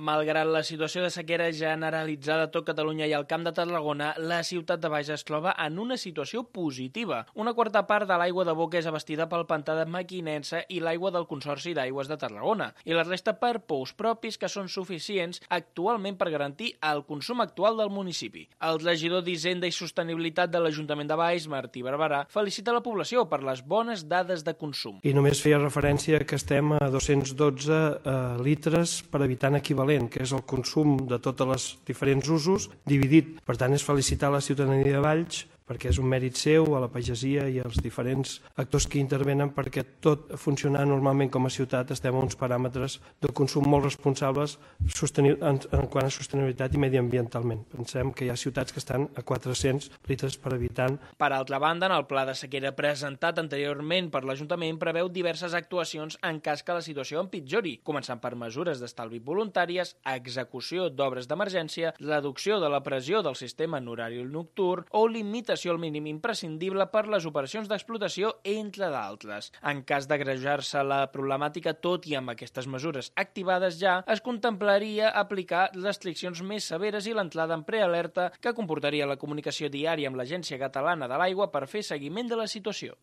Malgrat la situació de sequera generalitzada a tot Catalunya i al Camp de Tarragona, la ciutat de Bages es troba en una situació positiva. Una quarta part de l'aigua de boca és abastida pel pantà de Mequinensa i l'aigua del Consorci d'Aigües de Tarragona, i la resta per pous propis que són suficients actualment per garantir el consum actual del municipi. El regidor d'Hisenda i Sostenibilitat de l'Ajuntament de Baix, Martí Barberà, felicita la població per les bones dades de consum. I només feia referència que estem a 212 litres per habitant equivalent, que és el consum de tots els diferents usos dividit. Per tant, és felicitar la ciutadania de Valls perquè és un mèrit seu, a la pagesia i als diferents actors que intervenen perquè tot funcionar normalment com a ciutat estem a uns paràmetres de consum molt responsables en quant a sostenibilitat i mediambientalment. Pensem que hi ha ciutats que estan a 400 litres per habitant. Per altra banda, en el pla de sequera presentat anteriorment per l'Ajuntament preveu diverses actuacions en cas que la situació empitjori, començant per mesures d'estalvi voluntàries, execució d'obres d'emergència, reducció de la pressió del sistema en horari nocturn o limitació al mínim imprescindible per les operacions d'explotació, entre d'altres. En cas d'agrejar-se la problemàtica, tot i amb aquestes mesures activades ja, es contemplaria aplicar restriccions més severes i l'entrada en prealerta que comportaria la comunicació diària amb l'Agència Catalana de l'Aigua per fer seguiment de la situació.